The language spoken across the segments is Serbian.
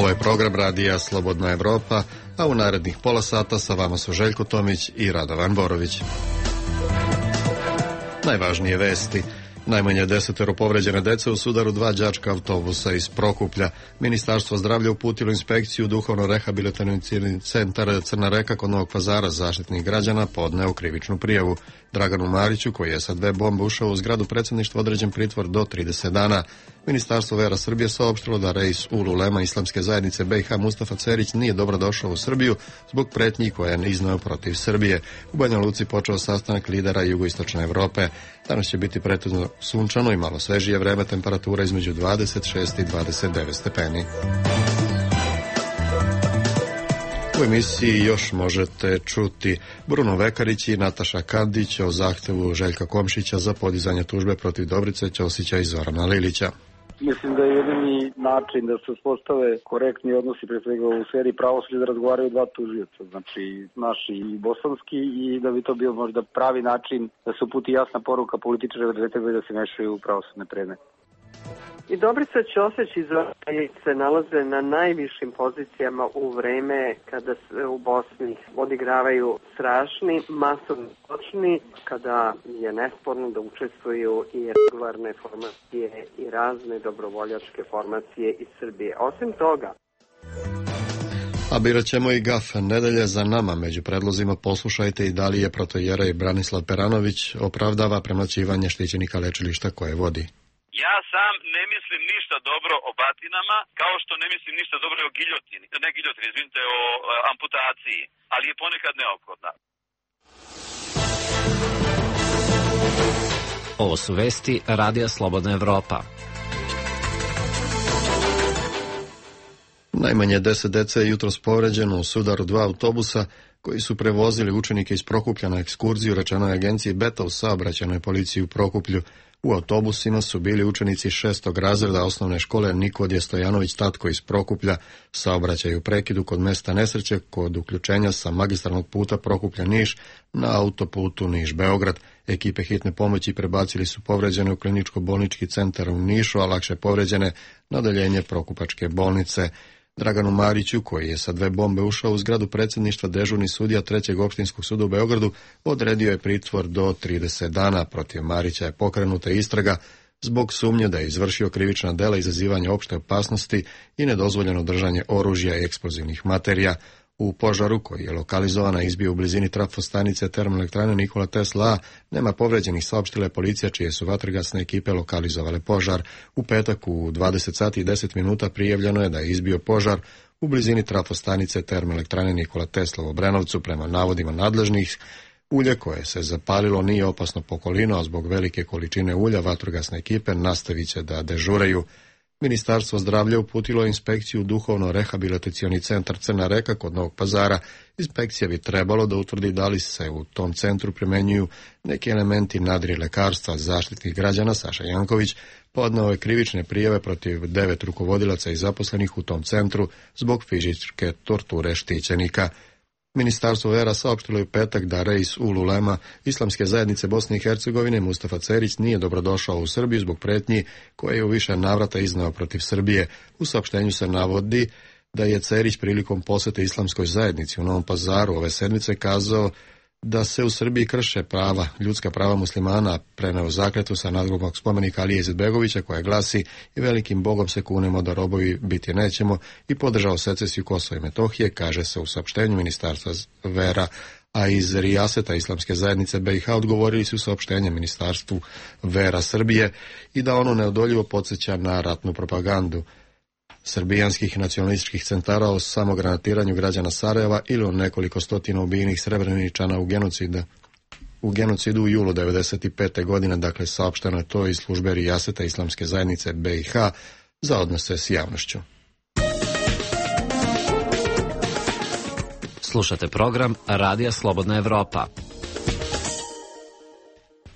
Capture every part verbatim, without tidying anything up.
Ovo je program radija Slobodna Evropa, a u narednih pola sata sa vama su Željko Tomić i Radovan Borović. Najvažnije vesti. Najmanje desetero povređene dece u sudaru dva đačka autobusa iz Prokuplja. Ministarstvo zdravlja uputilo inspekciju duhovno-rehabilitacioni centar Crna Reka kod Novog Pazara. Zaštitnik građana podneo krivičnu prijavu. Draganu Mariću, koji je sa dve bombe ušao u zgradu predsjedništva, određen pritvor do trideset dana. Ministarstvo vera Srbije saopštilo da reis ululema Islamske zajednice B i H Mustafa Cerić nije dobro došao u Srbiju zbog pretnji koje je izneo protiv Srbije. U Banja Luci počeo sastanak lidera jugoistočne Evrope. Danas će biti pretežno sunčano i malo svežije vreme, temperatura između dvadeset šest i dvadeset devet stepeni. U emisiji još možete čuti Bruno Vekarić i Nataša Kandić o zahtevu Željka Komšića za podizanje tužbe protiv Dobrice Ćosića i Zorana Lilića. Mislim da je jedini način da se uspostave korektni odnosi, pre svega u sferi pravosuđa, da razgovaraju dva tužioca, znači naši i bosanski, i da bi to bio možda pravi način da se uputi jasna poruka političara da treba da se mešaju u pravosudne predmete. I Dobrica Ćosić i Zoran Lilić se nalaze na najvišim pozicijama u vreme kada se u Bosni odigravaju strašni masovni zločini, kada je nesporno da učestvuju i regularne formacije i razne dobrovoljačke formacije iz Srbije. Osim toga, a birat ćemo i gaf nedelje za nama. Među predlozima poslušajte i da li je protojerej Branislav Peranović opravdava premlaćivanje štićenika lečilišta koje vodi. Ja sam ne mislim ništa dobro o batinama, kao što ne mislim ništa dobro o giljotini, ne giljotini, izvinite, o e, amputaciji, ali je ponekad neophodna. Ovo su vesti Radija Slobodna Evropa. Najmanje deset dece je jutros povređeno u sudaru dva autobusa koji su prevozili učenike iz Prokuplja na ekskurziju, rečeno je agenciji Beta u saobraćajnoj policiji u Prokuplju. U autobusima su bili učenici šestog razreda osnovne škole Nikodije Stojanović Tatko iz Prokuplja. Saobraćaj u prekidu kod mesta nesreće kod uključenja sa magistralnog puta Prokuplja-Niš na autoputu Niš-Beograd. Ekipe hitne pomoći prebacili su povređene u kliničko-bolnički centar u Nišu, a lakše povređene na odeljenje Prokupačke bolnice. Draganu Mariću, koji je sa dve bombe ušao u zgradu predsjedništva, dežurni sudija trećeg opštinskog suda u Beogradu odredio je pritvor do trideset dana. Protiv Marića je pokrenuta istraga zbog sumnje da je izvršio krivična dela izazivanja opšte opasnosti i nedozvoljeno držanje oružja i eksplozivnih materija. U požaru, koji je lokalizovana izbio u blizini trafostanice termoelektrane Nikola Tesla A, nema povređenih, saopštila je policija, čije su vatrogasne ekipe lokalizovale požar. U petak u dvadeset sati i deset minuta prijavljeno je da je izbio požar u blizini trafostanice termoelektrane Nikola Tesla u Obrenovcu. Prema navodima nadležnih, ulje koje se zapalilo nije opasno po okolinu, a zbog velike količine ulja vatrogasne ekipe nastavit će da dežuraju. Ministarstvo zdravlja uputilo inspekciju duhovno-rehabilitacioni centar Crna Reka kod Novog Pazara. Inspekcija bi trebalo da utvrdi da li se u tom centru primenjuju neki elementi nadri lekarstva. Zaštitnik građana Saša Janković podneo je krivične prijave protiv devet rukovodilaca i zaposlenih u tom centru zbog fizičke torture štićenika. Ministarstvo vera saopštilo je u petak da reis ululema Islamske zajednice Bosne i Hercegovine Mustafa Cerić nije dobrodošao u Srbiju zbog pretnji koje je u više navrata izneo protiv Srbije. U saopštenju se navodi da je Cerić prilikom posete Islamskoj zajednici u Novom Pazaru ove sedmice kazao da se u Srbiji krše prava, ljudska prava muslimana, preneo zakletvu sa nadgrobnog spomenika Alije Izetbegovića koja glasi: i velikim Bogom se kunemo da robovi biti nećemo, i podržao secesiju Kosova i Metohije, kaže se u saopštenju Ministarstva vera, a iz Rijaseta Islamske zajednice B i H odgovorili su saopštenje Ministarstvu vera Srbije i da ono neodoljivo podsjeća na ratnu propagandu srbijanskih nacionalističkih centara o samogranatiranju građana Sarajeva ili o nekoliko stotina ubijenih Srebreničana u genocida. U genocidu u julu devedeset pete. godine, dakle, saopšteno je to iz službe Rijaseta Islamske zajednice B i H za odnose s javnošću. Slušate program Radija Slobodna Evropa.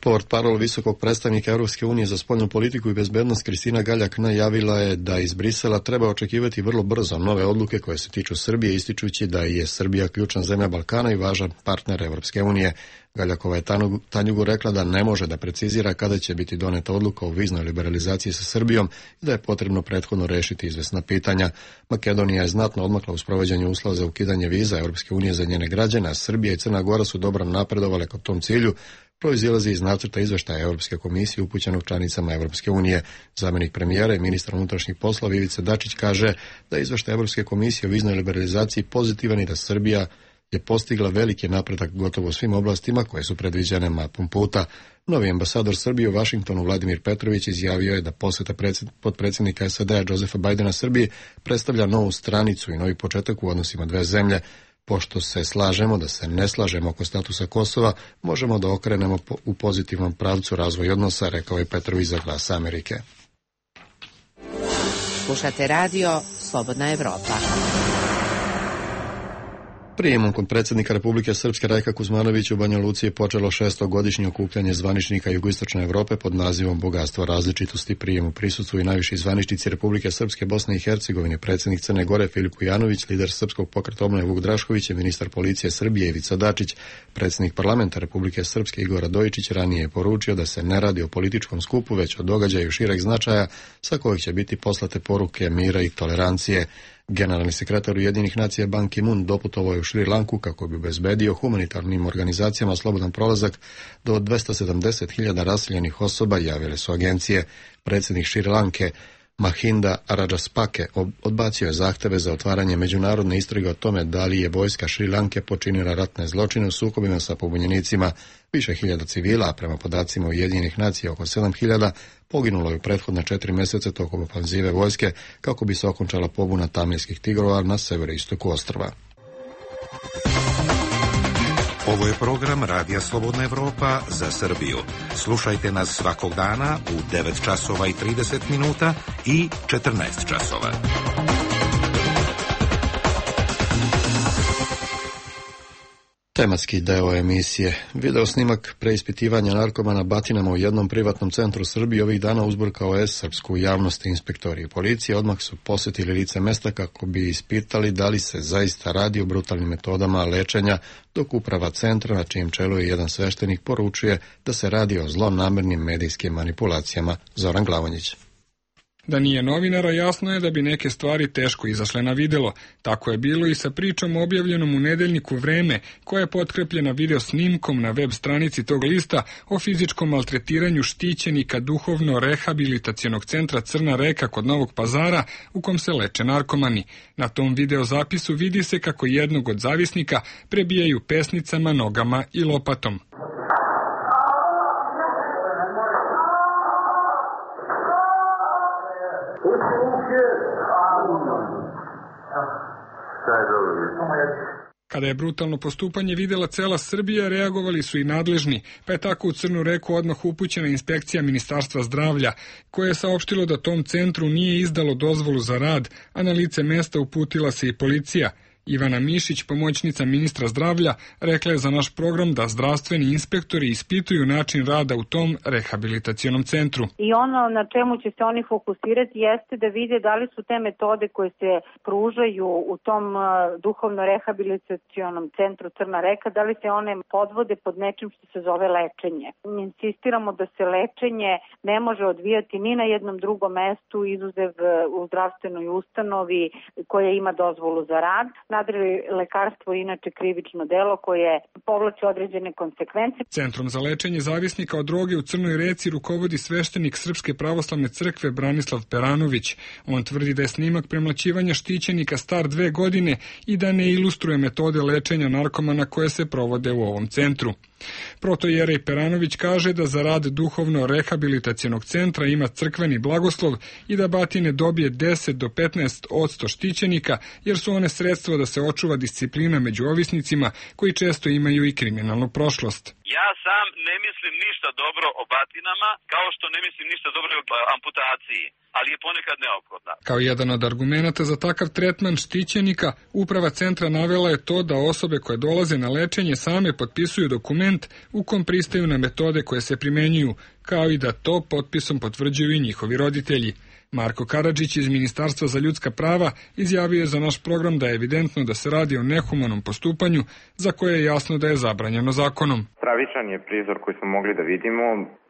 Portparol visokog predstavnika Europske unije za spoljnu politiku i bezbednost Kristina Galjak najavila je da iz Brisela treba očekivati vrlo brzo nove odluke koje se tiču Srbije, ističući da je Srbija ključna zemlja Balkana i važan partner Europske unije. Galjakova je Tanjugu rekla da ne može da precizira kada će biti doneta odluka o viznoj liberalizaciji sa Srbijom i da je potrebno prethodno rešiti izvesna pitanja. Makedonija je znatno odmakla u sprovođenju uslova za ukidanje viza Europske unije za njene građane, a Srbija i Crna Gora su dobro napredovale ka tom cilju, proizilazi iz nacrta izveštaja Europske komisije upućenog članicama Europske unije. Zamenik premijera i ministar unutrašnjih poslova Ivica Dačić kaže da je izveštaj Europske komisije o viznoj liberalizaciji pozitivan i da Srbija je postigla veliki napredak gotovo u svim oblastima koje su predviđene mapom puta. Novi ambasador Srbije u Vašingtonu Vladimir Petrović izjavio je da poseta potpredsjednika S A D-a Josefa Bajdena Srbiji predstavlja novu stranicu i novi početak u odnosima dve zemlje. Pošto se slažemo da se ne slažemo oko statusa Kosova, možemo da okrenemo u pozitivnom pravcu razvoj odnosa, rekao je Petrović za Glas Amerike. Slušate radio Slobodna Evropa. Prijemom kod predsjednika Republike Srpske Rajka Kuzmanovića u Banja Luci je počelo šestogodišnje okupljanje zvaničnika Jugoistočne Evrope pod nazivom Bogatstvo različitosti. Prijem u prisustvu i najviši zvaničnici Republike Srpske, Bosne i Hercegovine, predsjednik Crne Gore Filip Kujanović, lider Srpskog pokreta obnove Vuk Drašković i ministar policije Srbije Ivica Dačić. Predsjednik parlamenta Republike Srpske Igor Radojičić ranije je poručio da se ne radi o političkom skupu, već o događaju šireg značaja sa kojih će biti poslate poruke mira i tolerancije. Generalni sekretar Ujedinjenih nacija Ban Ki-moon doputovao je u Šri Lanku kako bi obezbedio humanitarnim organizacijama slobodan prolazak do dvesta sedamdeset hiljada raseljenih osoba, javile su agencije. Predsjednik Šri Lanke Mahinda Rajapakse odbacio je zahteve za otvaranje međunarodne istrage o tome da li je vojska Šri Lanke počinila ratne zločine u sukobima sa pobunjenicima. Više hiljada civila, a prema podacima Ujedinjenih nacija oko sedam hiljada, poginulo je u prethodne četiri mjeseca tokom ofanzive vojske kako bi se okončala pobuna tamilskih tigrova na severistoku ostrva. Ovo je program Radija Slobodna Evropa za Srbiju. Slušajte nas svakog dana u devet časova i trideset minuta i četrnaest časova. Tematski deo emisije. Video snimak preispitivanja narkomana batinama u jednom privatnom centru Srbije ovih dana uzburkao je srpsku javnost. Inspektori i policije odmah su posjetili lice mesta kako bi ispitali da li se zaista radi o brutalnim metodama lečenja, dok uprava centra, na čijem čelu je jedan sveštenik, poručuje da se radi o zlonamernim medijskim manipulacijama. Zoran Glavonjić. Da nije novinara, jasno je da bi neke stvari teško izašle na videlo. Tako je bilo i sa pričom objavljenom u nedeljniku Vreme, koja je potkrepljena video snimkom na web stranici tog lista o fizičkom maltretiranju štićenika duhovno-rehabilitacionog centra Crna Reka kod Novog Pazara, u kom se leče narkomani. Na tom video zapisu vidi se kako jednog od zavisnika prebijaju pesnicama, nogama i lopatom. Kada je brutalno postupanje videla cela Srbija, reagovali su i nadležni, pa je tako u Crnu Reku odmah upućena inspekcija Ministarstva zdravlja, koje je saopštilo da tom centru nije izdalo dozvolu za rad, a na lice mesta uputila se i policija. Ivana Mišić, pomoćnica ministra zdravlja, rekla je za naš program da zdravstveni inspektori ispituju način rada u tom rehabilitacionom centru. I ono na čemu će se oni fokusirati jeste da vide da li su te metode koje se pružaju u tom duhovno-rehabilitacionom centru Crna Reka, da li se one podvode pod nečim što se zove lečenje. Insistiramo da se lečenje ne može odvijati ni na jednom drugom mestu, izuzev u zdravstvenoj ustanovi koja ima dozvolu za rad. Nadri lekarstvo je inače krivično delo koje povlači određene konsekvence. Centrom za lečenje zavisnika od droge u Crnoj Reci rukovodi sveštenik Srpske pravoslavne crkve Branislav Peranović. On tvrdi da je snimak premlaćivanja štićenika star dve godine i da ne ilustruje metode lečenja narkomana koje se provode u ovom centru. Protojerej Peranović kaže da za rad duhovno-rehabilitacionog centra ima crkveni blagoslov i da batine dobije deset do petnaest odsto štićenika, jer su one sredstvo da da se očuva disciplina među ovisnicima koji često imaju i kriminalnu prošlost. Ja sam ne mislim ništa dobro o batinama, kao što ne mislim ništa dobro o amputaciji, ali je ponekad neophodna. Kao jedan od argumenata za takav tretman štićenika, uprava centra navela je to da osobe koje dolaze na lečenje same potpisuju dokument u kom pristaju na metode koje se primenjuju, kao i da to potpisom potvrđuju i njihovi roditelji. Marko Karadžić iz Ministarstva za ljudska prava izjavio je za naš program da je evidentno da se radi o nehumanom postupanju za koje je jasno da je zabranjeno zakonom. Stravičan je prizor koji smo mogli da vidimo.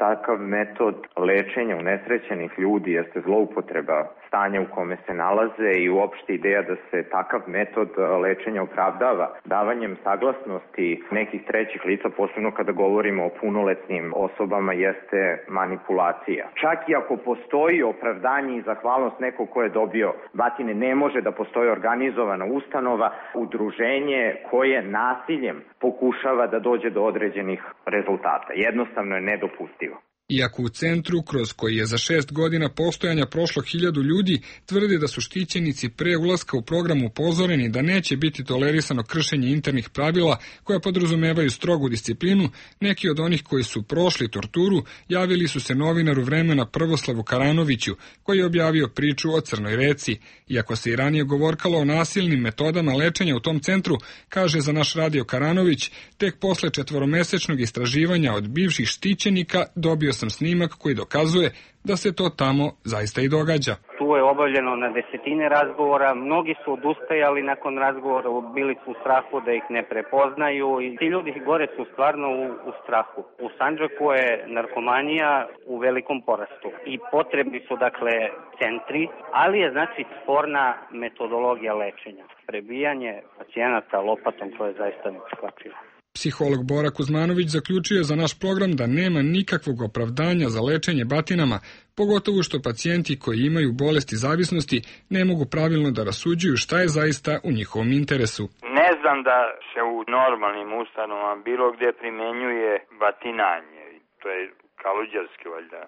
Takav metod lečenja unesrećenih ljudi jeste zloupotreba stanja u kome se nalaze i uopšte ideja da se takav metod lečenja opravdava davanjem saglasnosti nekih trećih lica, posebno kada govorimo o punoletnim osobama, jeste manipulacija. Čak i ako postoji opravdanje i zahvalnost nekog ko je dobio batine, ne može da postoji organizovana ustanova, udruženje koje nasiljem pokušava da dođe do određenih rezultata. Jednostavno je nedopustivo. Iako u centru, kroz koji je za šest godina postojanja prošlo hiljadu ljudi, tvrde da su štićenici pre ulaska u program upozoreni da neće biti tolerisano kršenje internih pravila koja podrazumevaju strogu disciplinu, neki od onih koji su prošli torturu javili su se novinaru Vremena Prvoslavu Karanoviću, koji je objavio priču o Crnoj reci. Iako se i ranije govorkalo o nasilnim metodama lečenja u tom centru, kaže za naš radio Karanović, tek posle četvoromesečnog istraživanja od bivših štićenika dobio sam snimak koji dokazuje da se to tamo zaista i događa. Tu je obavljeno na desetine razgovora, mnogi su odustajali nakon razgovora, bili su u strahu da ih ne prepoznaju i ti ljudi gore su stvarno u, u strahu. U Sandžaku je narkomanija u velikom porastu i potrebni su dakle centri, ali je znači sporna metodologija lečenja. Prebijanje pacijenata lopatom, to je zaista neprihvatljivo. Psiholog Bora Kuzmanović zaključuje za naš program da nema nikakvog opravdanja za lečenje batinama, pogotovo što pacijenti koji imaju bolesti zavisnosti ne mogu pravilno da rasuđuju šta je zaista u njihovom interesu. Ne znam da se u normalnim ustanovama bilo gdje primenjuje batinanje, to je kaluđerski valjda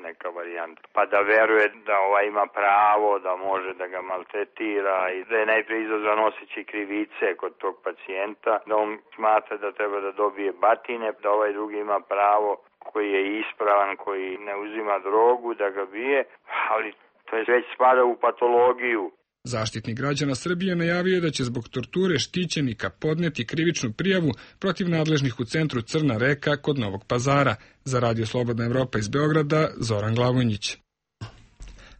neka varijanta, pa da veruje da ovaj ima pravo, da može da ga maltretira i da je najprije izazvan osjećaj krivice kod tog pacijenta, da on smatra da treba da dobije batine, da ovaj drugi ima pravo koji je ispravan, koji ne uzima drogu, da ga bije, ali to je već spada u patologiju. Zaštitnik građana Srbije najavio je da će zbog torture štićenika podneti krivičnu prijavu protiv nadležnih u centru Crna reka kod Novog Pazara. Za Radio Slobodna Evropa iz Beograda, Zoran Glavonjić.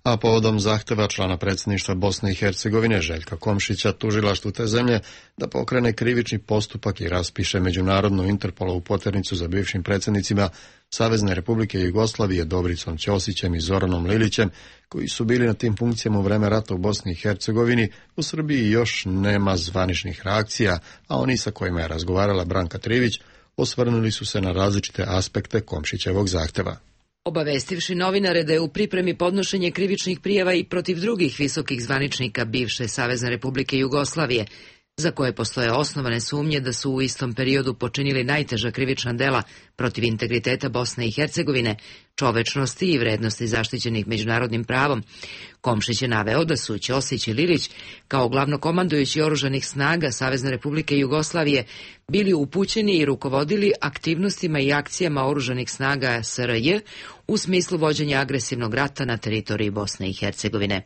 A povodom zahteva člana predsjedništva Bosne i Hercegovine Željka Komšića tužilaštvu te zemlje da pokrene krivični postupak i raspiše međunarodnu Interpolovu poternicu za bivšim predsjednicima Savezne Republike Jugoslavije Dobricom Ćosićem i Zoranom Lilićem, koji su bili na tim funkcijama u vreme rata u Bosni i Hercegovini, u Srbiji još nema zvaničnih reakcija, a oni sa kojima je razgovarala Branka Trivić osvrnuli su se na različite aspekte Komšićevog zahteva. Obavestivši novinare da je u pripremi podnošenje krivičnih prijava i protiv drugih visokih zvaničnika bivše Savezne Republike Jugoslavije, za koje postoje osnovane sumnje da su u istom periodu počinili najteža krivična dela protiv integriteta Bosne i Hercegovine, čovečnosti i vrednosti zaštićenih međunarodnim pravom, Komšić je naveo da su Ćosić i Lilić, kao glavnokomandujući oružanih snaga Savezne Republike Jugoslavije, bili upućeni i rukovodili aktivnostima i akcijama oružanih snaga S R J u smislu vođenja agresivnog rata na teritoriji Bosne i Hercegovine.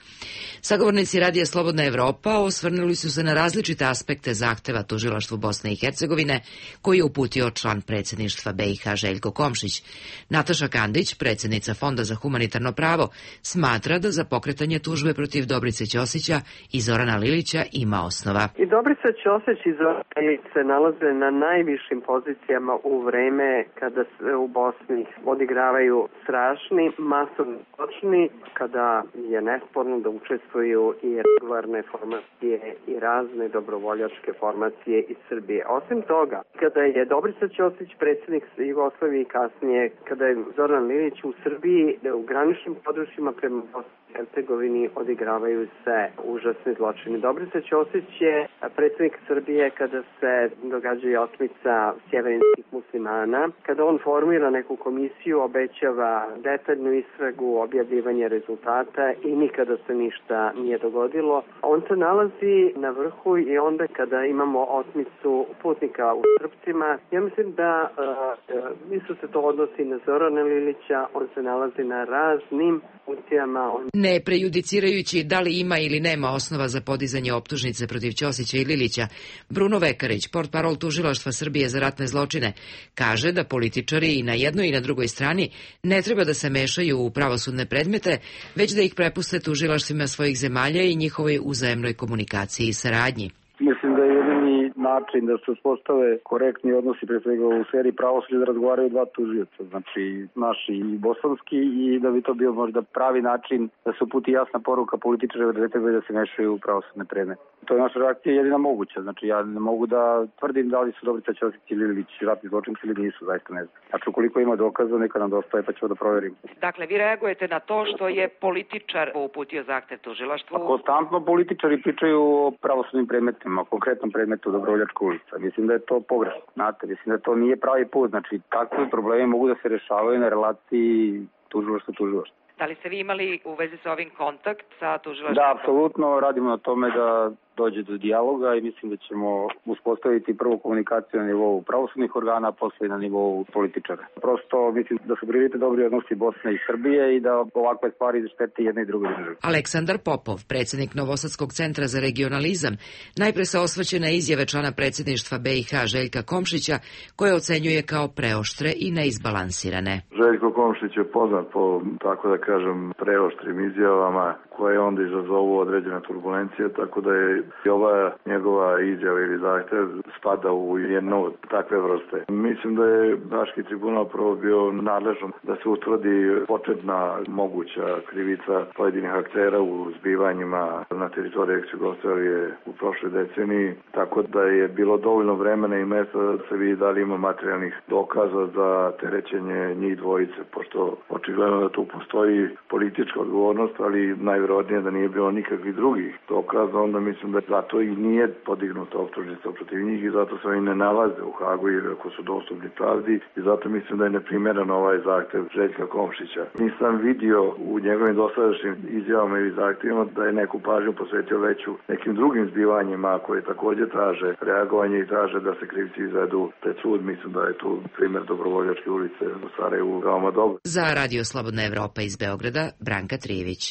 Sagovornici Radija Slobodna Evropa osvrnuli su se na različite aspekte zahteva tužilaštvu Bosne i Hercegovine koji je uputio član predsjedništva B i H Željko Komšić. Nataša Kandić, predsjednica Fonda za humanitarno pravo, smatra da za pokretanje tužbe protiv Dobrice Ćosića i Zorana Lilića ima osnova. I Dobrica Ćosić i Zoran Lilić se nalaze na najvišim pozicijama u vreme kada se u Bosni odigravaju strašni masovni zločini, kada je nesporno da učestvuju i regularne formacije i razne dobrovoljačke formacije iz Srbije. Osim toga, kada je Dobrica Ćosić predsjednik Jugoslavije i kasnije, kada je Zoran Lilić u Srbiji, u graničnim područjima prema Bosni Hercegovini odigravaju se užasni zločini. Dobrica Ćosić je predsjednik Srbije kada se događa otmica sjeverinskih muslimana. Kada on formira neku komisiju, obećava detaljnu istragu, objavljivanje rezultata i nikada se ništa nije dogodilo. On se nalazi na vrhu i onda kada imamo otmicu putnika u Trpcima, ja mislim da uh, isto se to odnosi na Zorana Lilića, on se nalazi na raznim funkcijama. On... Ne prejudicirajući da li ima ili nema osnova za podizanje optužnice protiv Ćosića i Lilića, Bruno Vekarić, portparol Tužilaštva Srbije za ratne zločine, kaže da političari i na jednoj i na drugoj strani ne treba da se mešaju u pravosudne predmete, već da ih prepuste tužilaštvima svojih zemalja i njihovoj uzajemnoj komunikaciji i saradnji. Mislim da je jedini način da se uspostave korektni odnosi, pre svega u sferi pravosuđa, da razgovaraju dva tužioca, znači naši i bosanski, i da bi to bio možda pravi način da se uputi jasna poruka političara da ne treba da se mešaju u pravosudne predmete. To je naša reakcija jedina moguća, znači ja ne mogu da tvrdim da li su Dobrica Ćosić ili Lilić ratni zločinci ili nisu, zaista ne znam. Znači ukoliko ima dokaza, neka nam dostaje pa ćemo da proverimo. Dakle, vi reagujete na to što je političar uputio zahtev tužilaštvu? Konstantno političari pričaju o pravosudnim predmetima, o konkretnom predmetu Dobrovoljačka ulica. Mislim da je to pogrešno, znate, mislim da to nije pravi put, znači takvi problemi mogu da se rešavaju na relaciji tužilaštvo-tužilaštvo. Da li ste vi imali u vezi sa ovim kontakt sa tužilaštvom? Da, apsolutno, radimo na tome da dođe do dijaloga i mislim da ćemo uspostaviti prvu komunikaciju na nivou pravosudnih organa, a posle na nivou političara. Prosto mislim da su prilite dobri odnosi Bosne i Srbije i da ovakve stvari štete jedne i druge države. Aleksandar Popov, predsjednik Novosadskog centra za regionalizam, najpre se osvrće na izjave člana predsjedništva B i H Željka Komšića, koje ocenjuje kao preoštre i neizbalansirane. Željko Komšić je poznat po, tako da kažem, preoštrim izjavama koje onda izazovu određene turbulencije, tako da je i ova njegova izjava ili zahtev spada u jednu takve vrste. Mislim da je Haški tribunal prvo bio nadležan da se utvrdi početna moguća krivica pojedinih aktera u zbivanjima na teritoriji ex-Jugoslavije u prošloj deceniji, tako da je bilo dovoljno vremena i mesta da se vidi da li ima materijalnih dokaza za terećenje njih dvojice, pošto očigledno da tu postoji politička odgovornost, ali najvjerojatnije da nije bilo nikakvih drugih dokaza, onda mislim da zato i nije podignuta optužnica protiv njih i zato se oni ne nalaze u Hagu jer ako su dostupni pravdi i zato mislim da je neprimjeren ovaj zahtev Željka Komšića. Nisam vidio u njegovim dosadašnjim izjavama ili zahtjevima da je neku pažnju posvetio veću nekim drugim zbivanjima koje također traže reagovanje i traže da se krivci izvedu pred sud. Mislim da je tu primjer Dobrovoljačke ulice u Sarajevu veoma dobro. Za Radio Slobodna Evropa iz Beograda, Branka Trijević.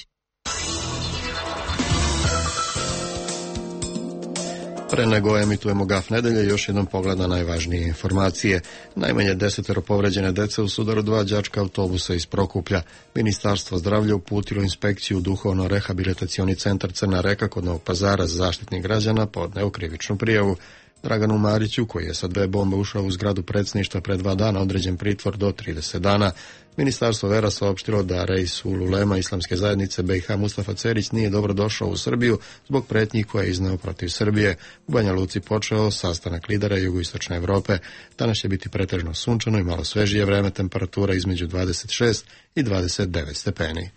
Pre nego emitujemo Gaf nedelje, još jednom pogled na najvažnije informacije. Najmanje desetero povređene dece u sudaru dva đačka autobusa iz Prokuplja. Ministarstvo zdravlja uputilo inspekciju duhovno-rehabilitacioni centar Crna Reka kod Novog Pazara za Zaštitnik građana podneo krivičnu prijavu. Draganu Mariću, koji je sa dve bombe ušao u zgradu predsjedništva pre dva dana, određen pritvor do trideset dana. Ministarstvo vera saopštilo da Reis Ululema Islamske zajednice B i H Mustafa Cerić nije dobro došao u Srbiju zbog pretnji koje je izneo protiv Srbije. U Banja Luci počeo sastanak lidera jugoistočne Evrope. Danas će biti pretežno sunčano i malo svežije vreme, temperatura između dvadeset šest i dvadeset devet stepeni.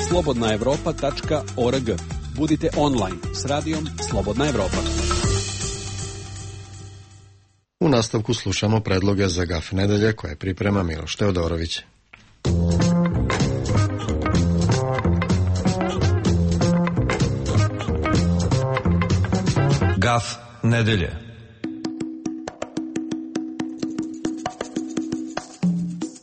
slobodna evropa tačka org. Budite online s radijom Slobodna Evropa. U nastavku slušamo predloge za Gaf nedelje koje priprema Miloš Teodorović. Gaf nedelje.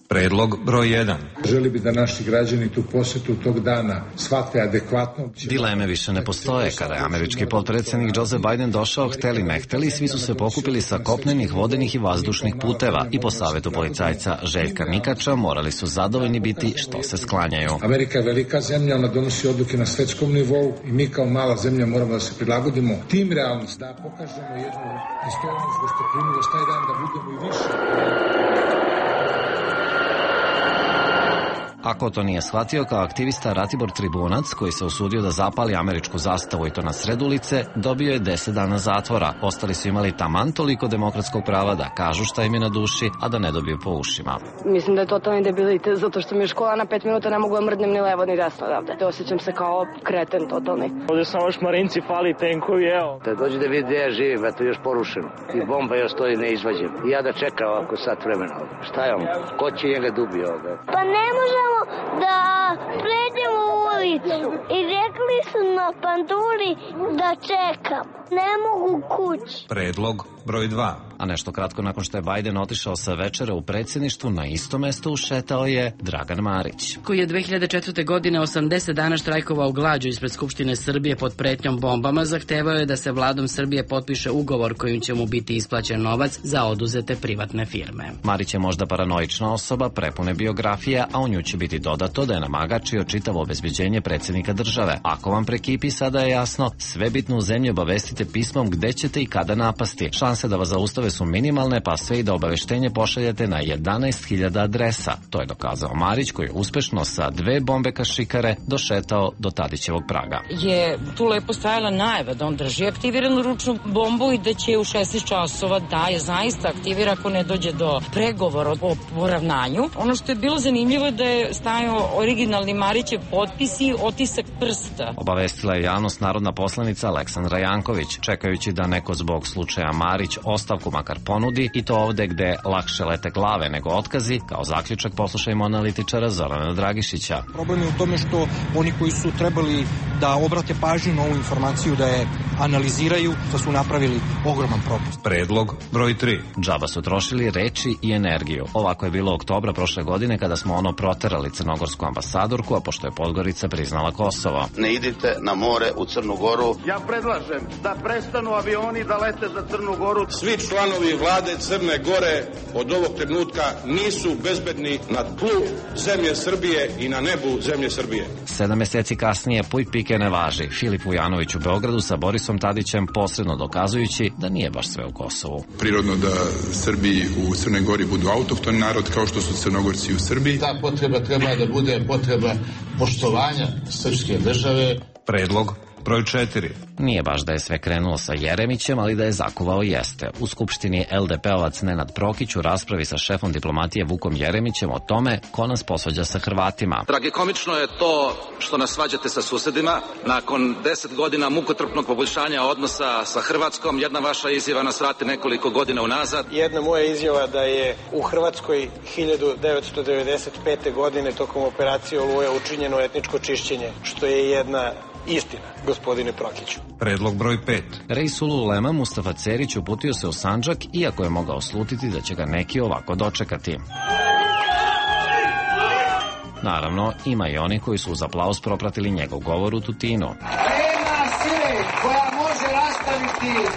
Predlog broj jedan. Želi bi da naši građani tu posetu tog dana shvate adekvatno. Dileme više ne postoje. Kada je američki potpredsjednik Joseph Biden došao, hteli ne hteli, svi su se pokupili sa kopnenih, vodenih i vazdušnih puteva i po savetu policajca Željka Mikača morali su zadovoljni biti što se sklanjaju. Amerika je velika zemlja, ona donosi odluke na svetskom nivou i mi kao mala zemlja moramo da se prilagodimo tim realnosti, da pokažemo jednu istoriju gostoprimljivost još taj dan da budemo i više. Ako to nije shvatio, kao aktivista Ratibor Tribunac, koji se usudio da zapali američku zastavu i to na sred ulice, dobio je deset dana zatvora. Ostali su imali taman toliko demokratskog prava da kažu šta im je na duši, a da ne dobiju po ušima. Mislim da je totalni debilitet, zato što mi je škola na pet minuta, ne mogu da mrdnem ni levo ni desno odavde. Da osjećam se kao kreten totalni. Ovdje samo još marinci, fali, tenkovi, evo. Da dođe da vidi gde ja živim, eto još porušeno. I bomba još stoji neizvađena. I ja da čekam ovako sat vremena ovdje. Šta je on? Ko će njega dubi ovdje? Pa ne možemo da pređemo u ulicu. I rekli su na panduri da čekam. Ne mogu kući. Predlog broj dva. A nešto kratko nakon što je Biden otišao sa večere u predsjedništvu, na isto mesto ušetao je Dragan Marić, koji je dve hiljade četvrte. godine osamdeset dana štrajkovao glađu ispred Skupštine Srbije pod pretnjom bombama. Zahtevao je da se vladom Srbije potpiše ugovor kojim će mu biti isplaćen novac za oduzete privatne firme. Marić je možda paranoična osoba, prepune biografije, a u nju će biti dodato da je namagačio čitavo obezbeđenje predsjednika države. Ako vam prekipi, sada je jasno, sve bitno u zemlji obavestite pismom gde ćete i kada napasti. Šanse da vas zaustave su minimalne, pa sve i da obaveštenje pošaljete na jedanaest hiljada adresa. To je dokazao Marić, koji je uspešno sa dve bombe kašikare došetao do Tadićevog praga. Je tu lepo stajala najava da on drži aktiviranu ručnu bombu i da će u šesnaest časova da je zaista aktivira ako ne dođe do pregovora o poravnanju. Ono što je bilo zanimljivo je da je stajao originalni Marićev potpis i otisak prsta. Obavestila je javnost narodna poslanica Aleksandra Janković, čekajući da neko zbog slučaja Marić ostavku makar ponudi, i to ovde gde lakše lete glave nego otkazi. Kao zaključak poslušajmo analitičara Zorana Dragišića. Problem je u tome što oni koji su trebali da obrate pažnju na ovu informaciju, da je analiziraju, da su napravili ogroman propust. Predlog broj tri. Džaba su trošili reči i energiju. Ovako je bilo oktobra prošle godine kada smo ono proterali crnogorsku ambasadorku, a pošto je Podgorica priznala Kosovo. Ne idite na more u Crnu Goru. Ja predlažem da prestanu avioni da lete za Crnu Goru. Svi članovi vlade Crne Gore od ovog trenutka nisu bezbedni na tlu zemlje Srbije i na nebu zemlje Srbije. Sedam meseci kasnije puj pike ne važi. Filip Vujanović u Beogradu sa Borisom Tadićem posredno dokazujući da nije baš sve u Kosovu. Prirodno da Srbiji u Crnoj Gori budu autohtoni narod kao što su Crnogorci u Srbiji. Ta potreba treba da bude potreba poštovanja srpske države. Predlog broj četiri. Nije baš da je sve krenulo sa Jeremićem, ali da je zakuvao jeste. U Skupštini el de pe-ovac Nenad Prokić u raspravi sa šefom diplomatije Vukom Jeremićem o tome ko nas posvađa sa Hrvatima. Tragikomično je to što nas svađate sa susedima. Nakon deset godina mukotrpnog poboljšanja odnosa sa Hrvatskom, jedna vaša izjava nas vrati nekoliko godina unazad. Jedna moja izjava da je u Hrvatskoj hiljadu devetsto devedeset pete. godine tokom operacije Oluja učinjeno etničko čišćenje, što je jedna istina, gospodine Prokiću. Predlog broj pet. Rejsul Ulema Mustafa Cerić uputio se u Sandžak, iako je mogao slutiti da će ga neki ovako dočekati. Naravno, ima i oni koji su uz aplauz propratili njegov govor u Tutinu. Nema sile koja može rastaviti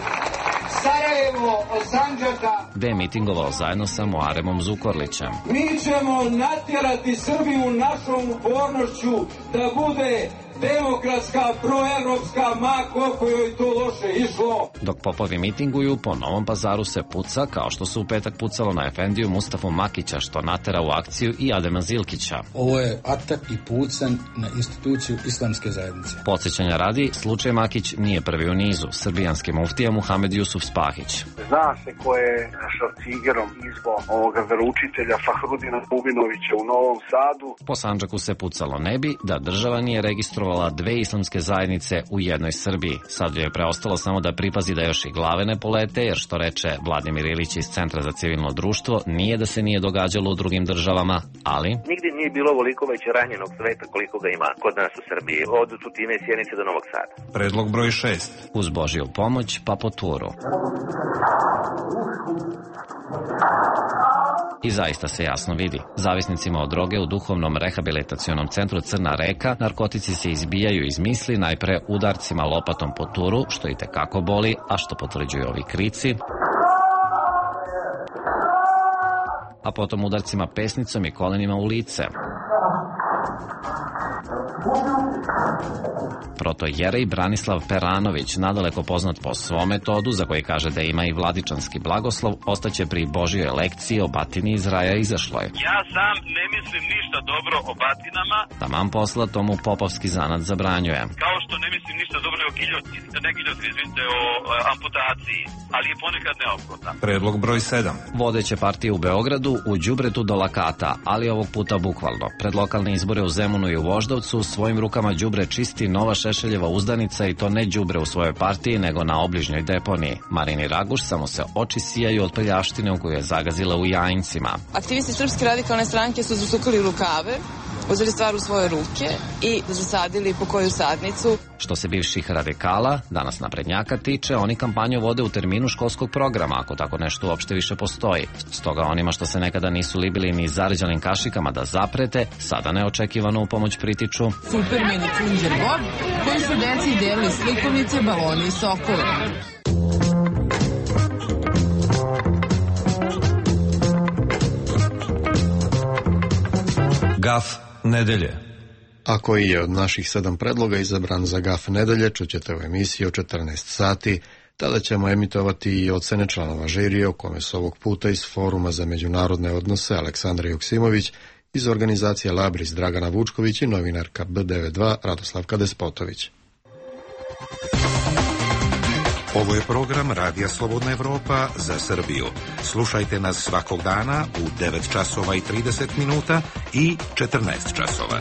Sarajevo od Sandžaka, gde je mitingovao zajedno sa Muaremom Zukorlićem. Mi ćemo natjerati Srbiju našom upornošću da bude demokratska, proevropska, ma koliko joj to loše išlo. Dok popovi mitinguju, po Novom Pazaru se puca, kao što se u petak pucalo na efendiju Mustafu Makića, što natera u akciju i Adema Zilkića. Ovo je atak i pucan na instituciju islamske zajednice. Podsjećanja radi, slučaj Makić nije prvi u nizu. Srbijanski muftija Muhamed Jusuf Spahić. Zna se ko je šarcigerom izbo ovoga veroučitelja Fahrudina Bubinovića u Novom Sadu. Po Sandžaku se pucalo ne bi da država nije registrovala dve islamske zajednice u jednoj Srbiji. Sad je preostalo samo da pripazi da još i glave ne polete, jer što reče Vladimir Ilić iz Centra za civilno društvo, nije da se nije događalo u drugim državama, ali... Nigdje nije bilo ovoliko već ranjenog sveta koliko ga ima kod nas u Srbiji, od Tutine i Sjenice do Novog Sada. Predlog broj šest. Uz Božju pomoć, pa po turu. I zaista se jasno vidi. Zavisnicima od droge u duhovnom rehabilitacionom centru Crna Reka narkotici se izbijaju iz misli najpre udarcima lopatom po turu, što i tekako boli, a što potvrđuju ovi krici, a potom udarcima pesnicom i kolenima u lice. Protojerej Branislav Peranović, nadaleko poznat po svom metodu, za koji kaže da ima i vladičanski blagoslov, ostaće pri Božjoj lekciji o batini iz raja izašlo je. Ja sam ne mislim ništa dobro o batinama. Taman posla tomu popovski zanat zabranjuje. Kao što ne mislim ništa dobro o giljotini, ne giljotini, izvinite, o e, amputaciji, ali je ponekad neophodna. Predlog broj sedam. Vodeće partije u Beogradu u đubretu do lakata, ali ovog puta bukvalno. Pred lokalne izbore u Zemunu i u Voždovcu svojim rukama đubre čisti nova Šešeljeva uzdanica i to ne đubre u svojoj partiji, nego na obližnjoj deponiji. Marini Raguš samo se oči sijaju od prljaštine u koju je zagazila u Jajincima. Aktivisti Srpske radikalne stranke su zasukali rukave, uzeli stvar u svoje ruke i zasadili po koju sadnicu. Što se bivših radikala, danas naprednjaka, tiče, oni kampanju vode u terminu školskog programa, ako tako nešto uopšte više postoji. Stoga onima što se nekada nisu libili ni zarđalim kašikama da zaprete, sada neočekivano u pomoć pritiču Superman i Kunđer Bob, koji su deci delili slikovnice, baloni i sokove. Gaf nedelje. A koji je od naših sedam predloga izabran za Gaf nedelje, čućete u emisiji o četrnaest sati. Tada ćemo emitovati i ocene članova žirije, u kome su ovog puta iz Foruma za međunarodne odnose Aleksandra Joksimović, iz organizacije Labris Dragana Vučković i novinarka B devedeset dva Radoslavka Despotović. Ovo je program Radija Slobodna Evropa za Srbiju. Slušajte nas svakog dana u devet časova i trideset minuta i četrnaest časova.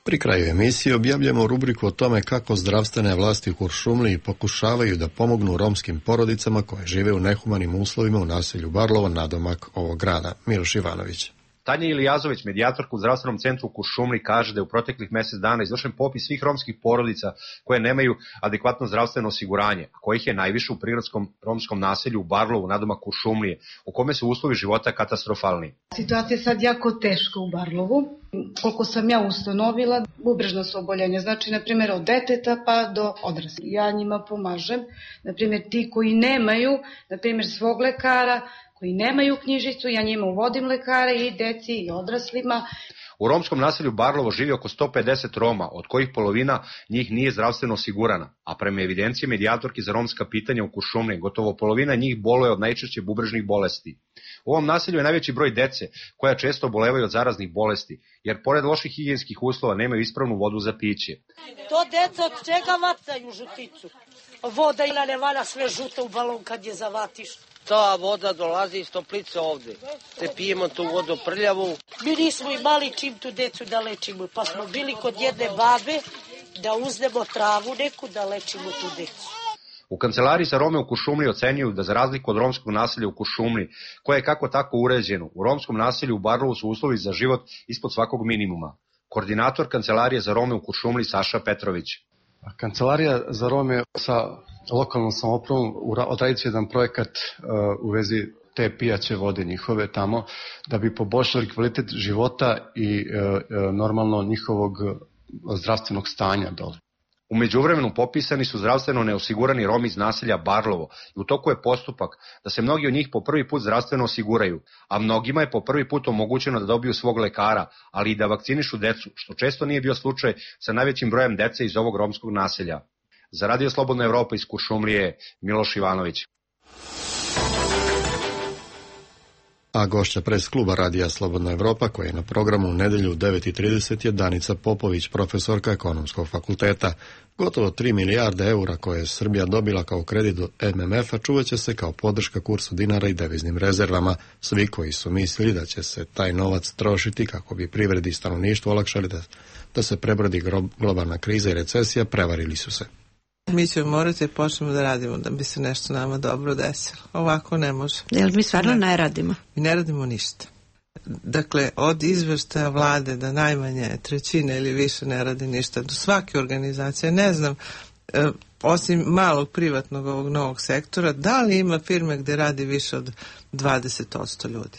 Pri kraju emisije objavljamo rubriku o tome kako zdravstvene vlasti u Kuršumliji pokušavaju da pomognu romskim porodicama koje žive u nehumanim uslovima u naselju Barlovo, nadomak ovog grada. Miloš Ivanović. Tanja Ilijazović, medijatorka u zdravstvenom centru u Kuršumliji, kaže da je u proteklih mjesec dana izvršen popis svih romskih porodica koje nemaju adekvatno zdravstveno osiguranje, a kojih je najviše u prigradskom romskom naselju u Barlovu, nadomak Kuršumlije, u kome su uslovi života katastrofalni. Situacija je sad jako teška u Barlovu. Koliko sam ja ustanovila, bubrežna su oboljenja, znači na primjer od deteta pa do odraslih. Ja njima pomažem, na primjer ti koji nemaju, na primjer svog lekara, koji nemaju knjižicu, ja njima uvodim lekare i deci i odraslima. U romskom naselju Barlovo živi oko sto pedeset Roma, od kojih polovina njih nije zdravstveno osigurana, a prema evidenciji medijatorki za romska pitanja u Kuršumliji, gotovo polovina njih boluje od najčešće bubrežnih bolesti. U ovom naselju je najveći broj dece, koja često obolevaju od zaraznih bolesti, jer pored loših higijenskih uslova nemaju ispravnu vodu za piće. To deca od čega vataju žuticu? Voda ili ne valja sve žuto u balon kad je zavatiš? Ta voda dolazi iz toplice ovde. Te pijemo tu vodu prljavu. Mi nismo imali čim tu decu da lečimo, pa smo bili kod jedne babe da uznemo travu neku da lečimo tu decu. U kancelariji za Rome u Kuršumliji ocenjuju da za razliku od romskog naselja u Kuršumliji, koje je kako tako uređeno, u romskom naselju u Barlovu su uslovi za život ispod svakog minimuma. Koordinator kancelarije za Rome u Kuršumliji Saša Petrović. Kancelarija za Rome sa lokalnom samoupravom odradit će jedan projekat uh, u vezi te pijaće vode njihove tamo, da bi poboljšali kvalitet života i uh, uh, normalno njihovog zdravstvenog stanja dole. U međuvremenu popisani su zdravstveno neosigurani Romi iz naselja Barlovo i u toku je postupak da se mnogi od njih po prvi put zdravstveno osiguraju, a mnogima je po prvi put omogućeno da dobiju svog lekara, ali i da vakcinišu decu, što često nije bio slučaj sa najvećim brojem dece iz ovog romskog naselja. Za Radio Slobodna Evropa iz Kuršumlije, Miloš Ivanović. A gošća pres kluba Radija Slobodna Evropa, koja je na programu u nedelju u devet i trideset je Danica Popović, profesorka ekonomskog fakulteta. Gotovo tri milijarde eura koje je Srbija dobila kao kredit od M M F-a čuvaće se kao podrška kursu dinara i deviznim rezervama. Svi koji su mislili da će se taj novac trošiti kako bi privredi i stanovništvu olakšali da, da se prebrodi globalna kriza i recesija, prevarili su se. Mi ćemo morati da počnemo da radimo da bi se nešto nama dobro desilo. Ovako ne može. Jel mi stvarno ne radimo? Mi ne radimo ništa. Dakle, od izveštaja vlade da najmanje trećine ili više ne radi ništa, do svake organizacije, ne znam, e, osim malog privatnog ovog novog sektora, da li ima firme gde radi više od dvadeset posto ljudi?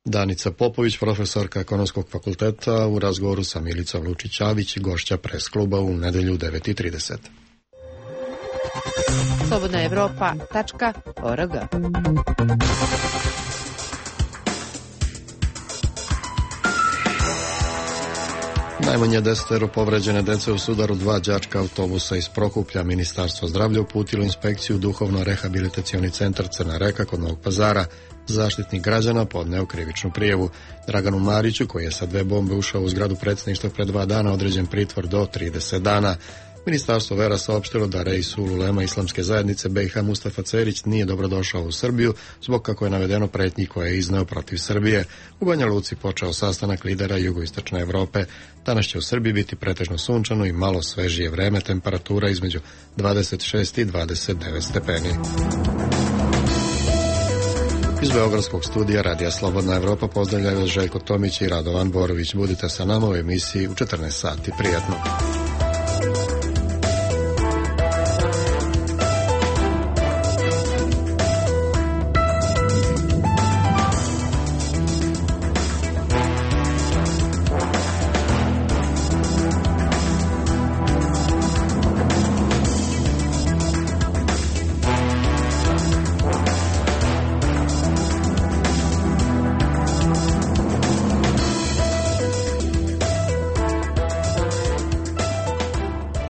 Danica Popović, profesorka ekonomskog fakulteta, u razgovoru sa Milicom Lučić-Avić, gošća pres kluba u nedelju u devet i trideset. slobodna evropa tačka org Najmanje desetero povređene dece u sudaru dva đačka autobusa iz Prokuplja. Ministarstvo zdravlja uputilo inspekciju duhovno-rehabilitacioni centar Crna Reka kod Novog Pazara. Zaštitnik građana podneo krivičnu prijavu. Draganu Mariću, koji je sa dve bombe ušao u zgradu predsjedništva pre dva dana, određen pritvor do trideset dana. Ministarstvo vera saopštilo da Reis ulema Islamske zajednice B i H Mustafa Cerić nije dobrodošao u Srbiju zbog, kako je navedeno, pretnji koje je izneo protiv Srbije. U Banja Luci počeo sastanak lidera jugoistočne Evrope. Danas će u Srbiji biti pretežno sunčano i malo svežije vreme, temperatura između dvadeset šest i dvadeset devet stepeni. Iz Beogradskog studija Radija Slobodna Evropa pozdravljaju Željko Tomić i Radovan Borović. Budite sa nama u emisiji u četrnaest sati. Prijatno.